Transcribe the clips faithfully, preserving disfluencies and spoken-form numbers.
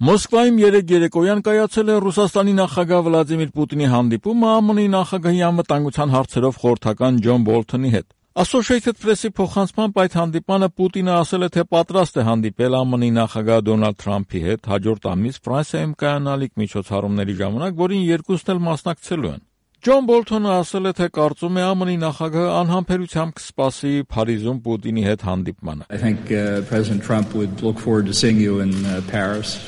Մոսկվայում երեկ երեկոյան կայացել է Ռուսաստանի նախագահ Վլադիմիր Պուտինի հանդիպումը ԱՄՆ-ի նախագահի անվտանգության հարցերով խորհրդական Ջոն Բոլթոնի հետ։ Associated Press-ի փոխանցմամբ այդ հանդիպանը Պուտինը ասել է, թե պատրաստ է հանդիպել ԱՄՆ-ի նախագահ Դոնալդ Թրամփի հետ հաջորդ ամիս Ֆրանսիայում կայանալիք միջոցառումների ժամանակ, որին երկուսն էլ մասնակցելու են։ Ջոն Բոլթոնը ասել է, թե կարծում է ԱՄՆ-ի նախագահը անհամբերությամբ կսպասի Փարիզում Պուտինի հետ հանդիպմանը։ I think uh, President Trump would look forward to seeing you in uh, Paris.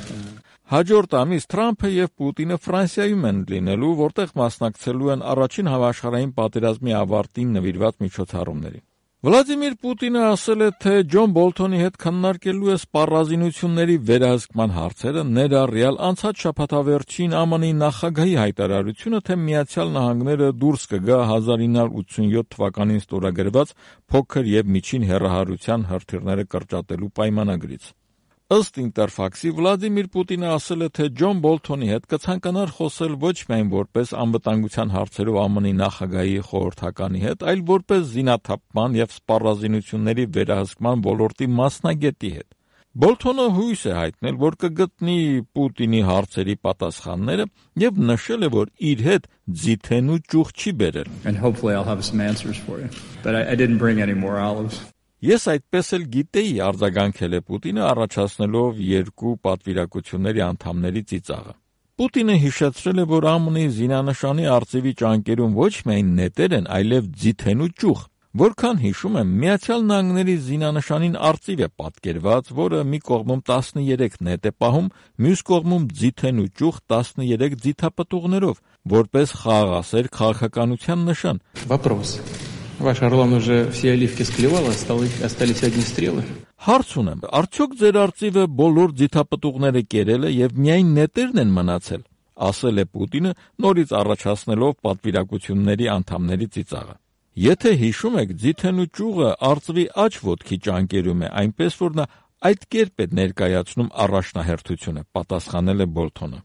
Հաջորդ ամիս Թրամփը եւ Պուտինը Ֆրանսիայում են լինելու, որտեղ մասնակցելու են առաջին համաշխարհային պատերազմի ավարտին նվիրված միջոցառումներին։ Վլադիմիր Պուտինը ասել է, թե Ջոն Բոլթոնի հետ քննարկելու է սպառազինությունների վերահսկման հարցերը, ներառյալ անցած շաբաթավերջին ԱՄՆ-ի նախագահի հայտարարությունը, թե Միացյալ Նահանգները դուրս կգա հազար ինը հարյուր ութսունյոթ թվականին ստորագրված փոքր եւ միջին հեռահարության հրթիռները կրճատելու պայմանագրից։ Ըստ Ինտերֆաքսի Վլադիմիր Պուտինը ասել է, թե Ջոն Բոլթոնի հետ կցանկանար խոսել ոչ միայն որպես անվտանգության հարցերով ԱՄՆ-ի նախագահի խորհրդականի հետ, այլ որպես զինաթափման եւ սպառազինությունների վերահսկման ոլորտի մասնագետի հետ։ Բոլթոնը հույս է հայտնել, որ կգտնի Պուտինի հարցերի պատասխանները եւ նշել է, որ իր հետ ձիթեն ու ճյուղ չի բերել։ And hopefully I'll have some answers for you. But I, I didn't bring any more olives. Ես այդպես էլ գիտեի, արձագանքել է Պուտինը, առաջացնելով երկու պատվիրակությունների անդամների ծիծաղը։ Պուտինը հիշեցրել է, որ ԱՄՆ-ի զինանշանի արծիվի ճանկերում ոչ միայն նետեր են, այլև ձիթեն ու ճյուղ։ Որքան հիշում եմ, Միացյալ Նահանգների զինանշանին արծիվ է պատկերված, որը մի կողմում տասներեք նետ է պահում, մյուս կողմում ձիթեն ու ճյուղ տասներեք ձիթապտուղներով, որպես խաղաղասեր քաղաքականության նշան։ Вопрос. Ваш Орлан уже все оливки склевал, остались одни стрелы. Հարց ունեմ, արդյոք ձեր արծիվը բոլոր ձիթապտուղները կերել է եւ միայն նետերն են մնացել, ասել է Պուտինը, նորից առաջացնելով պատվիրակությունների անդամների ծիծաղը։ Եթե հիշում եք, ձիթեն ու ճյուղը արծվի աջ ոտքի ճանկերում է, այնպես որ նա այդ կերպ է ներկայացնում առաջնահերթությունը, պատասխանել է Բոլթոնը։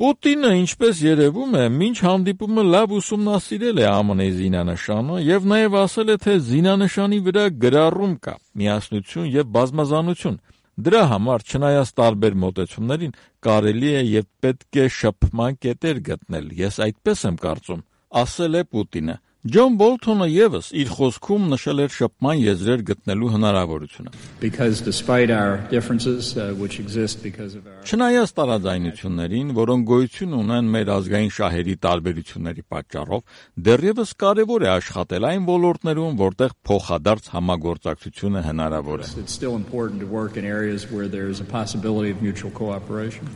Պուտինը, ինչպես երևում է, մինչ հանդիպումը լավ ուսումնասիրել է ԱՄՆ-ի զինանշանը եւ նաեւ ասել է, թե զինանշանի վրա գրառում կա, միասնություն եւ բազմազանություն։ Դրա համար, չնայած տարբեր մոտեցումներին, կարելի է եւ պետք է շփման կետեր գտնել։ Ես այդպես եմ կարծում, ասել է Պուտինը։ Ջոն Բոլթոնը եւս իր խոսքում նշել էր շփման եզրեր գտնելու հնարավորությունը։ Because despite our differences uh, which exist because of our Չնայած տարաձայնություններին, որոնք գոյություն ունեն մեր ազգային շահերի տարբերությունների պատճառով, դեռևս կարևոր է աշխատել այն ոլորտներում, որտեղ փոխադարձ համագործակցությունը հնարավոր է։ It's still important to work in areas where there is a possibility of mutual cooperation.